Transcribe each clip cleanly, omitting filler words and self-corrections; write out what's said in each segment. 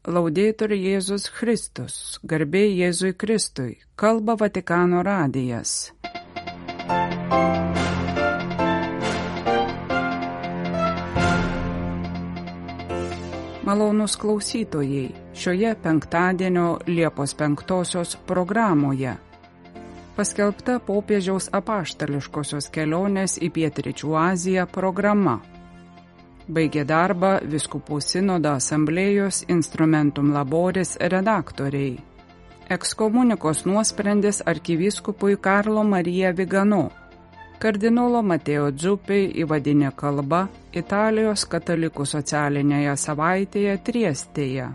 Laudetur Jėzus Kristus, garbė Jėzui Kristui, kalba Vatikano radijas. Malonūs klausytojai, šioje penktadienio Liepos 5 programoje paskelbta popiežiaus apaštališkosios kelionės į Pietryčių Aziją programa. Baigė darbą Vyskupų sinodo asamblėjos Instrumentum Laboris redaktoriai. Ekskomunikos nuosprendis arkivyskupui Karlo Marija Vigano. Kardinolo Mateo Dzuppi įvadinė kalba Italijos katalikų socialinėje savaitėje Triestėje.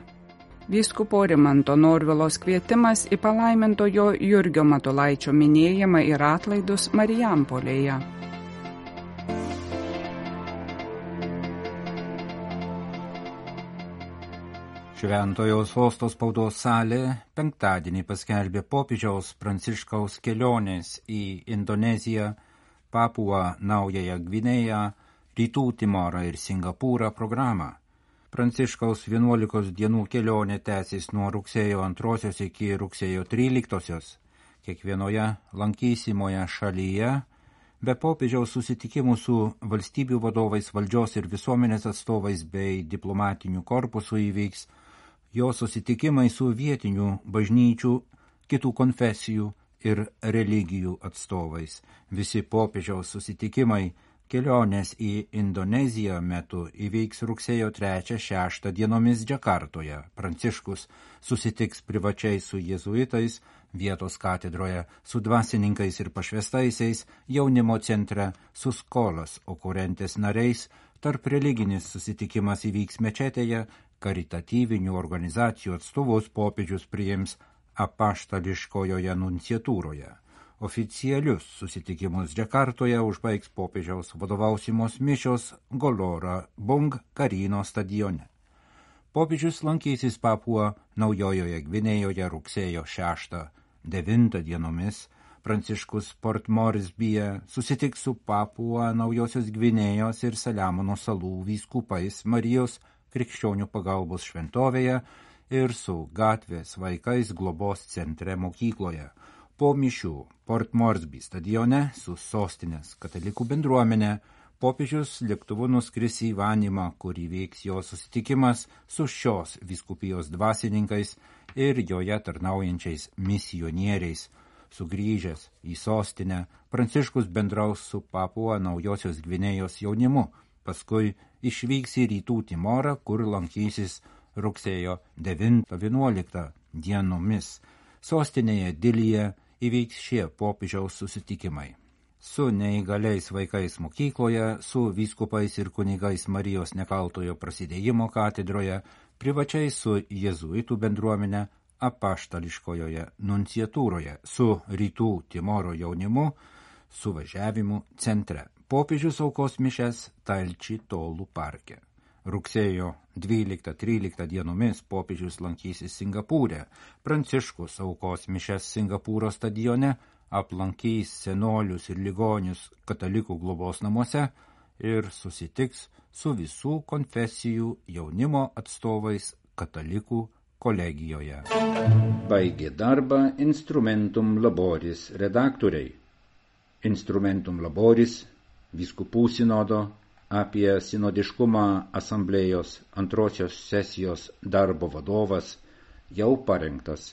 Vyskupo Rimanto Norvilos kvietimas į palaimintojo Jurgio Matulaičio minėjimą ir atlaidus Marijampolėje. Šventojo sosto spaudos salė penktadienį paskelbė popiežiaus Pranciškaus kelionės į Indoneziją, Papuą Naująją Gvinėją, Rytų Timorą ir Singapūrą programą. Pranciškaus 11 dienų kelionė tęsis nuo rugsėjo 2 iki rugsėjo 13. Kiekvienoje lankysimoje šalyje, be popiežiaus susitikimų su valstybių vadovais, valdžios ir visuomenės atstovais bei diplomatinių korpusų įvyks jo susitikimai su vietinių bažnyčių, kitų konfesijų ir religijų atstovais. Visi popiežiaus susitikimai kelionės į Indoneziją metu įvyks rugsėjo 3-6 dienomis Džakartoje. Pranciškus susitiks privačiai su jėzuitais, vietos katedroje, su dvasininkais ir pašvestaisiais, jaunimo centre, su skolas okurentės nariais. Tarp religinis susitikimas įvyks mečetėje, karitatyvinių organizacijų atstovus popiežius priims apaštališkojoje nunciatūroje. Oficialius susitikimus Džakartoje užbaigs popiežiaus vadovausimos mišios Golora Bung Karino stadione. Popiežius lankysis Papuą Naujojoje Gvinėjoje rugsėjo 6-9 dienomis. Pranciškus Port Moresbyje susitiks su Papuą Naujosios Gvinėjos ir Saliamono salų vyskupais Marijos Krikščionių pagalbos šventovėje ir su gatvės vaikais globos centre mokykloje. Po mišių Port Moresby stadione su sostinės katalikų bendruomenė popiežius lėktuvu nuskris į Vanimą, kur įvyks jo susitikimas su šios vyskupijos dvasininkais ir joje tarnaujančiais misionieriais. Sugrįžęs į sostinę, Pranciškus bendraus su Papuą Naujosios Gvinėjos jaunimu, paskui išvyks į Rytų Timorą, kur lankysis rugsėjo 9-11 dienomis. Sostinėje Dilyje įvyks šie popiežiaus susitikimai. Su neįgaliais vaikais mokykloje, su vyskupais ir kunigais Marijos Nekaltojo prasidėjimo katedroje, privačiai su jėzuitų bendruomenė apaštališkojoje nunciatūroje, su Rytų Timoro jaunimu, suvažiavimu centre. Popiežius aukos mišes Talči Tolų parke. Rugsėjo 12-13 dienomis popiežius lankysis Singapūre. Pranciškus aukos mišes Singapūro stadione, aplankys senolius ir ligonius katalikų globos namuose ir susitiks su visų konfesijų jaunimo atstovais katalikų kolegijoje. Baigė darbą Instrumentum Laboris redaktoriai. Instrumentum Laboris, Vyskupų sinodo apie sinodiškumą asamblėjos 2 sesijos darbo vadovas jau parengtas.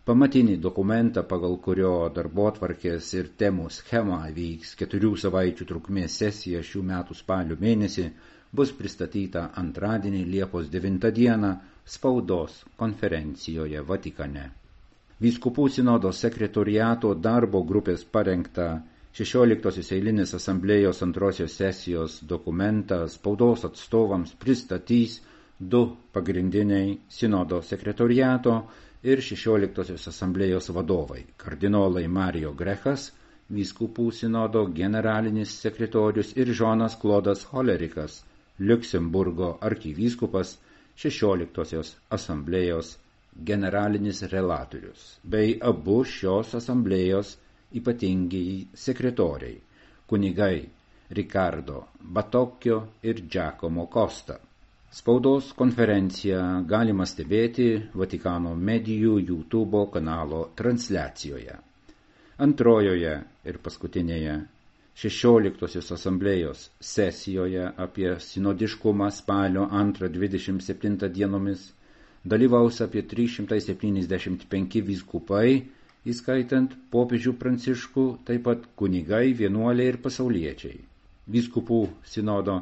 Pamatinį dokumentą, pagal kurio darbotvarkės ir temų schemą vyks 4 savaičių trukmės sesija šių metų spalio mėnesį, bus pristatyta antradienį Liepos 9 dieną spaudos konferencijoje Vatikane. Vyskupų sinodo sekretoriato darbo grupės parengta 16 eilinės asamblėjos 2 sesijos dokumentą spaudos atstovams pristatys 2 pagrindiniai sinodo sekretoriato ir 16 asamblėjos vadovai – kardinolai Mario Grechas, vyskupų sinodo generalinis sekretorius ir Žonas Klodas Holerikas, Liuksemburgo arkivyskupas, 16 asamblėjos generalinis relatorius, bei abu šios asamblėjos ypatingiai sekretoriai, kunigai Ricardo Batocchio ir Giacomo Costa. Spaudos konferenciją galima stebėti Vatikano medijų YouTube kanalo transliacijoje. Antrojoje ir paskutinėje 16 asamblėjos sesijoje apie sinodiškumą spalio 2-27 dienomis dalyvaus apie 375 vyskupai, įskaitant popiežių Pranciškų, taip pat kunigai, vienuoliai ir pasauliečiai. Vyskupų sinodo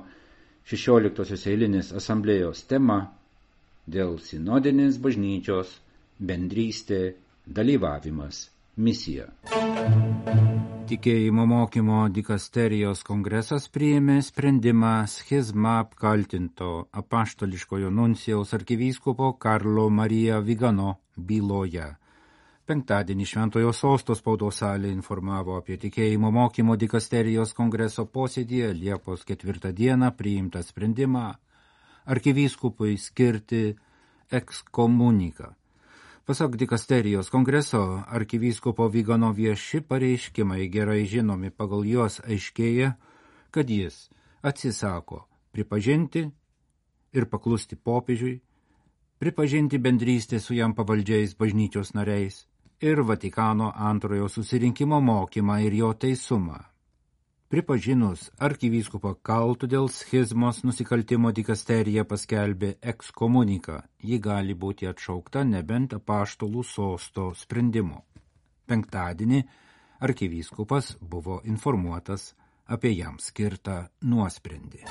16 eilinės asamblėjos tema dėl sinodinės bažnyčios bendrystė, dalyvavimas, misija. Tikėjimo mokymo dikasterijos kongresas priėmė sprendimą schizmą apkaltinto apaštališkojo nuncijaus arkivyskupo Karlo Marija Vigano byloje. Penktadienį Šventojo Sosto spaudos salė informavo apie tikėjimo mokymo dikasterijos kongreso posėdyje Liepos 4 dieną priimtą sprendimą arkivyskupui skirti ekskomuniką. Pasak dikasterijos kongreso, arkivyskupo Vigano vieši pareiškimai gerai žinomi, pagal juos aiškėja, kad jis atsisako pripažinti ir paklusti popiežiui, pripažinti bendrystę su jam pavaldžiais bažnyčios nariais ir Vatikano antrojo susirinkimo mokymą ir jo teisumą. Pripažinus arkivyskupą kaltu dėl schizmos nusikaltimo dikasterija paskelbė ekskomuniką. Ji gali būti atšaukta nebent apaštalų sosto sprendimu. Penktadienį arkivyskupas buvo informuotas apie jam skirtą nuosprendį.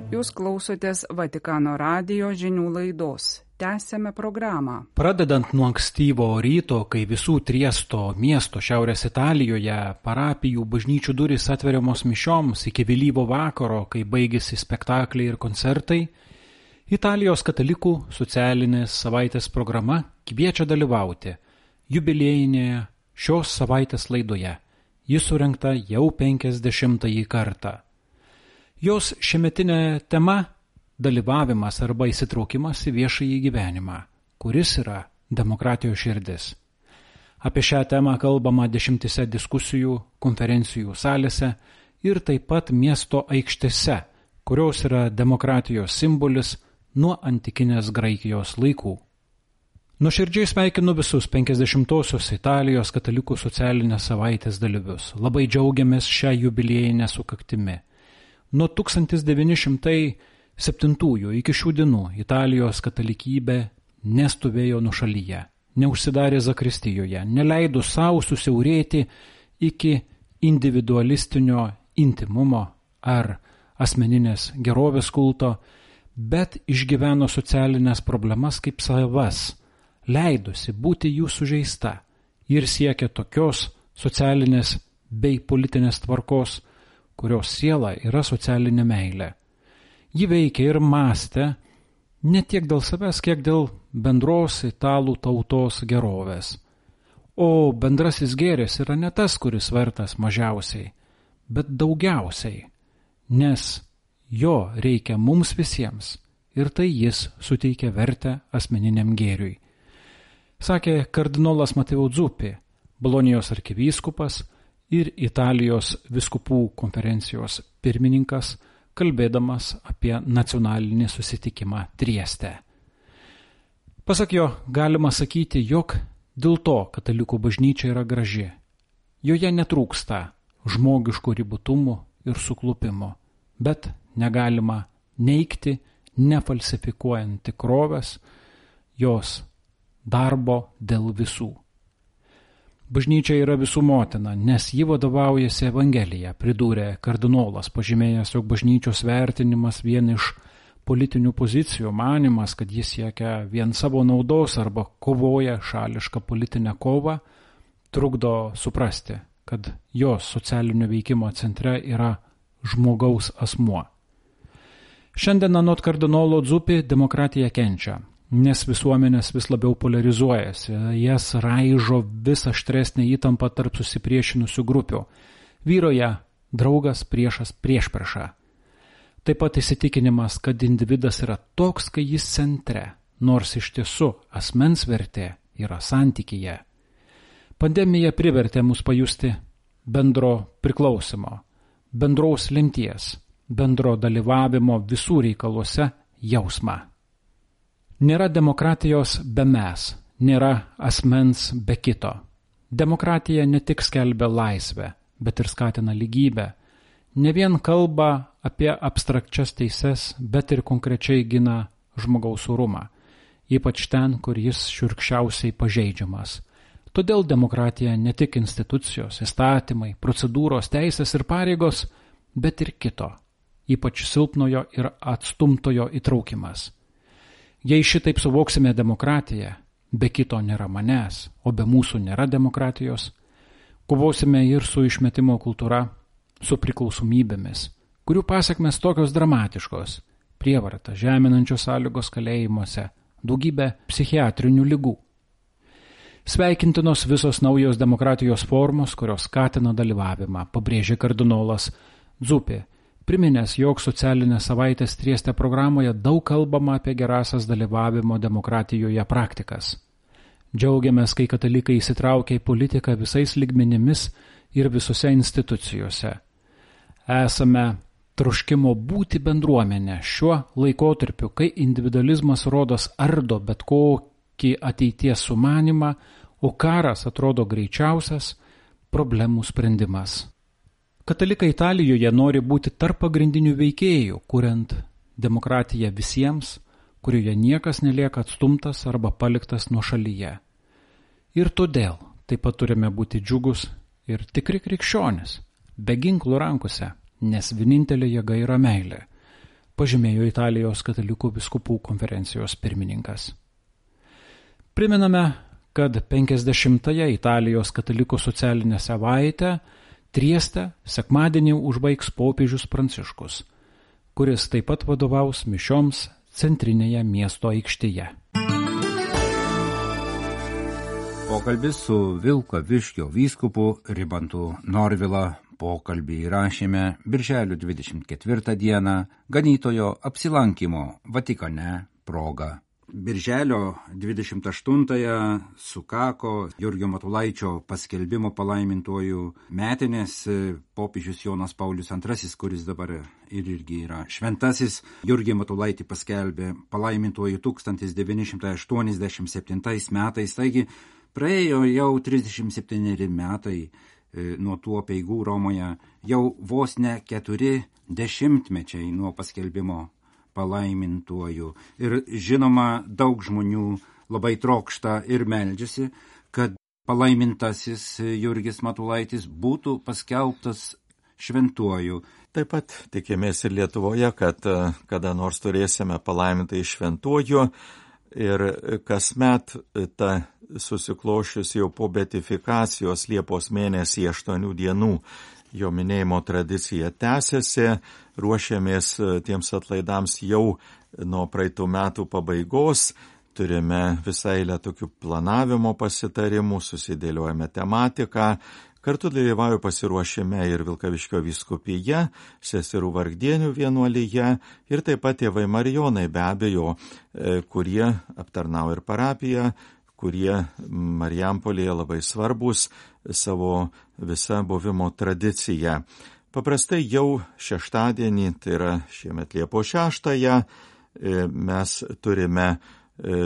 Jūs klausotės Vatikano radijo žinių laidos. Tęsiame programą. Pradedant nuo ankstyvo ryto, kai visų Triesto miesto Šiaurės Italijoje parapijų bažnyčių durys atveriamos mišioms iki vėlyvo vakaro, kai baigėsi spektakliai ir koncertai, Italijos katalikų socialinės savaitės programa kviečia dalyvauti jubiliejinėje šios savaitės laidoje. Ji surengta jau 50-ąjį kartą. Jos šiemetinė tema – dalyvavimas arba įsitraukimas į viešąjį gyvenimą, kuris yra demokratijos širdis. Apie šią temą kalbama 10 diskusijų, konferencijų salėse ir taip pat miesto aikštėse, kurios yra demokratijos simbolis nuo antikinės Graikijos laikų. Nuoširdžiai sveikinu visus 50-osios Italijos katalikų socialinės savaitės dalyvius. Labai džiaugiamės šią jubiliejinę sukaktimi. Nuo 1907 iki šių dienų Italijos katalikybė nestovėjo nuošalyje, neužsidarė zakristijoje, neleido savo susiaurėti iki individualistinio intimumo ar asmeninės gerovės kulto, bet išgyveno socialinės problemas kaip savas, leidosi būti jų sužeista ir siekė tokios socialinės bei politinės tvarkos, kurios siela yra socialinė meilė. Ji veikia ir mąstė ne tiek dėl savęs, kiek dėl bendros italų tautos gerovės. O bendrasis gėris yra ne tas, kuris vertas mažiausiai, bet daugiausiai, nes jo reikia mums visiems ir tai jis suteikia vertę asmeniniam gėriui. Sakė kardinolas Mateo Zuppi, Bolonijos arkivyskupas ir Italijos vyskupų konferencijos pirmininkas, kalbėdamas apie nacionalinį susitikimą Trieste. Pasak jo, galima sakyti, jog dėl to katalikų bažnyčia yra graži. Joje netrūksta žmogiškų ribotumų ir suklupimo, bet negalima neigti, nefalsifikuojant tikrovės, jos darbo dėl visų. Bažnyčia yra visų motina, nes ji vadovaujasi Evangelija, pridūrė kardinolas, pažymėjęs, jog bažnyčios vertinimas vien iš politinių pozicijų, manimas, kad jis siekia vien savo naudos arba kovoja šališką politinę kovą, trukdo suprasti, kad jos socialinio veikimo centre yra žmogaus asmuo. Šiandien anot kardinolo Zuppi demokratija kenčia, nes visuomenės vis labiau polarizuojasi, jas raižo vis aštresnė įtampa tarp susipriešinusių grupių. Vyroja draugas priešas priešpriešą. Taip pat įsitikinimas, kad individas yra toks, kai jis centre, nors iš tiesų asmens vertė yra santykyje. Pandemija privertė mus pajusti bendro priklausimo, bendraus lemties, bendro dalyvavimo visų reikaluose jausmą. Nėra demokratijos be mes, nėra asmens be kito. Demokratija ne tik skelbia laisvę, bet ir skatina lygybę. Ne vien kalba apie abstrakčias teises, bet ir konkrečiai gina žmogaus orumą, ypač ten, kur jis šiurkščiausiai pažeidžiamas. Todėl demokratija ne tik institucijos, įstatymai, procedūros, teisės ir pareigos, bet ir kito, ypač silpnojo ir atstumtojo įtraukimas. Jei šitaip suvoksime demokratiją, be kito nėra manęs, o be mūsų nėra demokratijos, kovosime ir su išmetimo kultūra, su priklausomybėmis, kurių pasekmės tokios dramatiškos – prievarta, žeminančios sąlygos kalėjimuose, daugybė psichiatrinių ligų. Sveikintinos visos naujos demokratijos formos, kurios skatina dalyvavimą, pabrėžė kardinolas Dzupė, priminęs, jog socialinės savaitės Trieste programoje daug kalbama apie gerasias dalyvavimo demokratijoje praktikas. Džiaugiamės, kai katalikai įsitraukia į politiką visais lygmenimis ir visose institucijose. Esame troškimo būti bendruomenė šiuo laikotarpiu, kai individualizmas rodos ardo bet kokį ateities sumanimą, o karas atrodo greičiausias problemų sprendimas. Katalikai Italijoje nori būti tarp pagrindinių veikėjų, kuriant demokratiją visiems, kurioje niekas nelieka atstumtas arba paliktas nuošalyje. Ir todėl taip pat turime būti džiugus ir tikri krikščionis, be ginklų rankose, nes vienintelė jėga yra meilė, pažymėjo Italijos katalikų vyskupų konferencijos pirmininkas. Primename, kad 50-ąją Italijos katalikų socialinę savaitę Trieste sekmadienį užbaigs popiežius Pranciškus, kuris taip pat vadovaus mišioms centrinėje miesto aikštėje. Pokalbis su Vilkaviškio vyskupu Rimantu Norvila. Pokalbį įrašėme birželio 24 dieną ganytojo apsilankimo Vatikane proga. Birželio 28-ąją sukako Jurgio Matulaičio paskelbimo palaimintuoju metinės. Popiežius Jonas Paulius II, kuris dabar irgi yra šventasis, Jurgį Matulaitį paskelbė palaimintuoju 1987 metais, taigi praėjo jau 37 metai nuo tų apeigų Romoje, jau vos ne 4 dešimtmečiai nuo paskelbimo palaimintuoju. Ir žinoma, daug žmonių labai trokšta ir meldžiasi, kad palaimintasis Jurgis Matulaitis būtų paskelbtas šventuoju. Taip pat tikimės ir Lietuvoje, kad kada nors turėsime palaimintąjį šventuoju ir kasmet ta susiklošius jau po beatifikacijos Liepos mėnesį 8 dienų jo minėjimo tradicija tęsiasi, ruošiamės tiems atlaidams jau nuo praeitų metų pabaigos, turime visą eilę tokių planavimo pasitarimų, susidėliojame tematiką, kartu dalyvauju pasiruošime ir Vilkaviškio vyskupija, seserų vargdienių vienuolyje ir taip pat tėvai Marijonai be abejo, kurie aptarnauja ir parapiją, kurie Marijampolėje labai svarbus savo visą buvimo tradiciją. Paprastai jau šeštadienį, tai yra šiemet Liepos 6-ąją, mes turime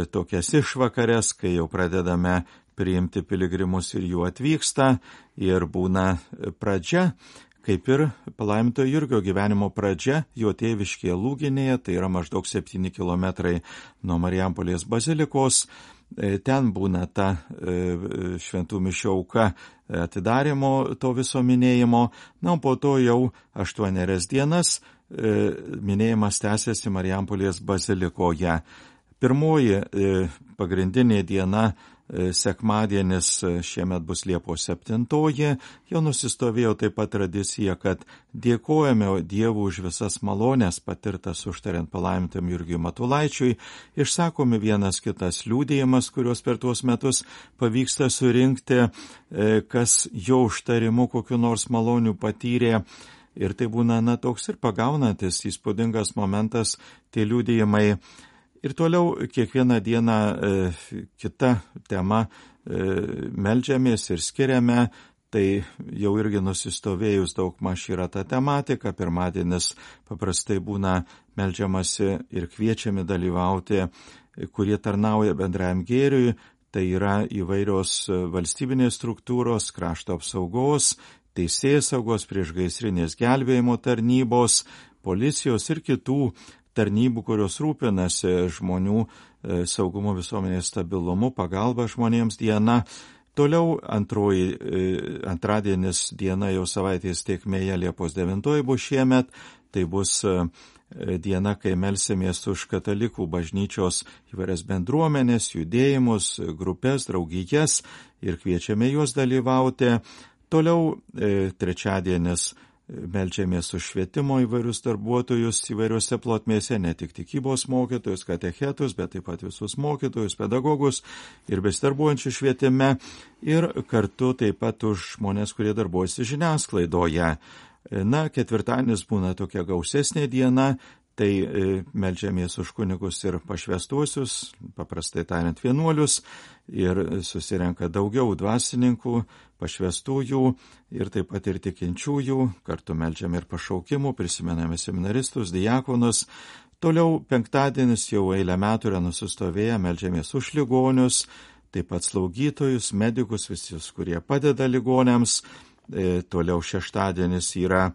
tokias išvakarės, kai jau pradedame priimti piligrimus ir jų atvyksta ir būna pradžia, kaip ir palaimintojo Jurgio gyvenimo pradžia jo tėviškėje Lūginėje, tai yra maždaug 7 kilometrai nuo Marijampolės bazilikos. Ten būna ta šventų mišių auka atidarimo to viso minėjimo, na, po to jau 8 dienas minėjimas tęsiasi Marijampolės bazilikoje. Pirmoji pagrindinė diena, sekmadienis šiemet bus Liepos 7, jau nusistovėjo taip pat tradicija, kad dėkojame Dievui už visas malonės patirtas užtariant palaimintam Jurgiui Matulaičiui, išsakomi vienas kitas liudijimas, kuriuos per tuos metus pavyksta surinkti, kas jo užtarimu kokiu nors maloniu patyrė. Ir tai būna toks ir pagaunantis įspūdingas momentas, tie liudijimai. Ir toliau kiekvieną dieną kita tema meldžiamės ir skiriame Tai jau irgi nusistovėjus daugmaž yra ta tematika. Pirmadienis paprastai būna meldžiamasi ir kviečiami dalyvauti, kurie tarnauja bendrajam gėriui. Tai yra įvairios valstybinės struktūros, krašto apsaugos, teisėsaugos, priešgaisrinės gelbėjimo tarnybos, policijos ir kitų tarnybų, kurios rūpinasi žmonių saugumo, visuomenės stabilumu, pagalba žmonėms diena. Toliau antradienis diena jau savaitės tėkmėje Liepos 9 bus šiemet. Tai bus diena, kai melsimės už katalikų bažnyčios įvairias bendruomenės, judėjimus, grupės, draugijas ir kviečiame juos dalyvauti. Toliau trečiadienis meldžiamės už švietimo įvairius darbuotojus įvairiuose plotmėse, ne tik tikybos mokytojus, katechetus, bet taip pat visus mokytojus, pedagogus ir besidarbuojančių švietime ir kartu taip pat už žmonės, kurie darbuojasi žiniasklaidoje. Na, ketvirtadienis būna tokia gausesnė diena, tai meldžiamės už kunigus ir pašvęstuosius, paprastai tariant vienuolius, ir susirenka daugiau dvasininkų, pašvęstųjų ir taip pat ir tikinčiųjų, kartu meldžiame ir pašaukimų, prisimename seminaristus, diakonus. Toliau penktadienis jau eilę metų yra nusistovėję, meldžiamės už ligonius, taip pat slaugytojus, medikus, visus, kurie padeda ligoniams. Toliau šeštadienis yra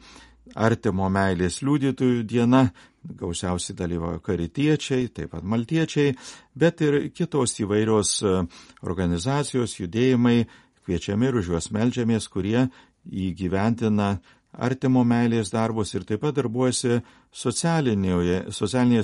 artimo meilės liudytojų diena, gausiausiai dalyvauja karitiečiai, taip pat maltiečiai, bet ir kitos įvairios organizacijos, judėjimai, kviečiami ir už juos meldžiamės, kurie įgyventina artimo meilės darbus ir taip pat darbuojasi socialinėje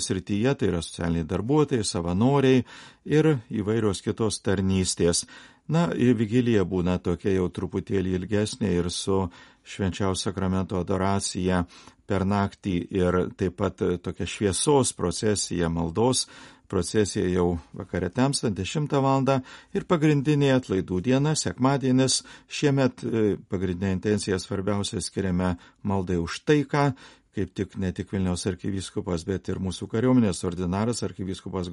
srityje, tai yra socialiniai darbuotojai, savanoriai ir įvairios kitos tarnystės. Na, ir vigilija būna tokia jau truputėlį ilgesnė ir su švenčiausio sakramento adoracija per naktį ir taip pat tokia šviesos procesija, maldos procesija jau vakare temstant 10 valandą ir pagrindinė atlaidų diena, sekmadienis. Šiemet pagrindinė intencija svarbiausia skiriame maldai už taiką. Kaip tik ne tik Vilniaus arkivyskupas, bet ir mūsų kariuomenės ordinaras arkivyskupas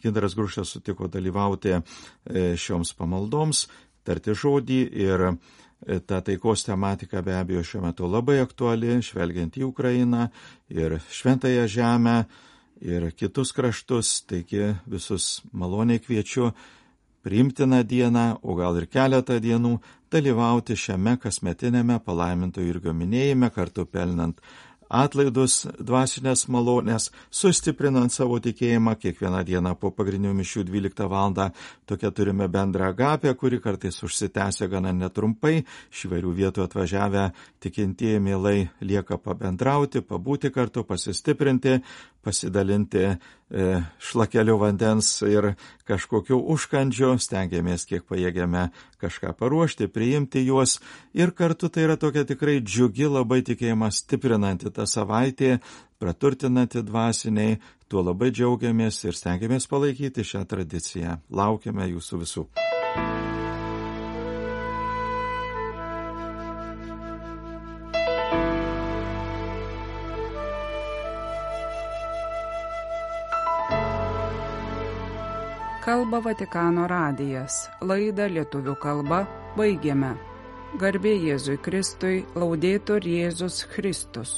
Gintaras Grušas sutiko dalyvauti šioms pamaldoms, tarti žodį ir ta taikos tematika be abejo šiuo metu labai aktuali, žvelgiant į Ukrainą ir Šventąją žemę ir kitus kraštus, taigi visus maloniai kviečiu priimtiną dieną, o gal ir keletą dienų dalyvauti šiame kasmetinėme palaimintojo Jurgio minėjime, kartu pelnant atlaidus, dvasinės malonės, sustiprinant savo tikėjimą. Kiekvieną dieną po pagrindinių mišių 12 valandą tokia turime bendrą agapę, kuri kartais užsitęsia gana netrumpai. Iš įvairių vietų atvažiavę tikintieji mielai lieka pabendrauti, pabūti kartu, pasistiprinti, pasidalinti šlakeliu vandens ir kažkokiu užkandžiu, stengiamės kiek pajėgiame kažką paruošti, priimti juos ir kartu tai yra tokia tikrai džiugi, labai tikėjimą stiprinanti ta savaitė, praturtinanti dvasiniai, tuo labai džiaugiamės ir stengiamės palaikyti šią tradiciją. Laukiame jūsų visų. Kalba Vatikano radijas. Laidą lietuvių kalba baigiame. Garbė Jėzui Kristui, laudetur Jėzus Kristus.